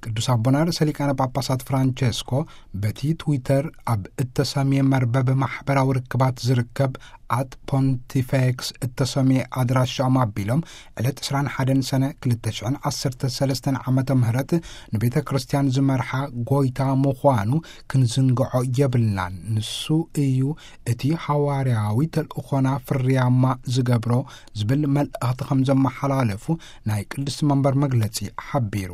ቅዱስ ኣቦና ርእሰ ሊቃነ ጳጳሳት ፍራንቸስኮ በቲ ትዊተር ኣብ እተሰምየ መርበብ ማሕበራዊ ርክባት ዝርከብ ኣት ፖንቲፌክስ እተሰምየ ኣድራሻኦም ኣቢሎም፣ ዕለት ዕስራን ሓደን ሰነ ክልተ ሽሕን ዓሰርተ ሰለስተን ዓመተ ምህረት ንቤተ ክርስቲያን ዝመርሓ ጎይታ ምዃኑ ክንዝንግዖ የብልናን። ንሱ እዩ እቲ ሃዋርያዊ ተልእኾና ፍርያማ ዝገብሮ ዝብል መልእኽቲ ከም ዘመሓላለፉ ናይ ቅድስቲ መንበር መግለጺ ሓቢሩ።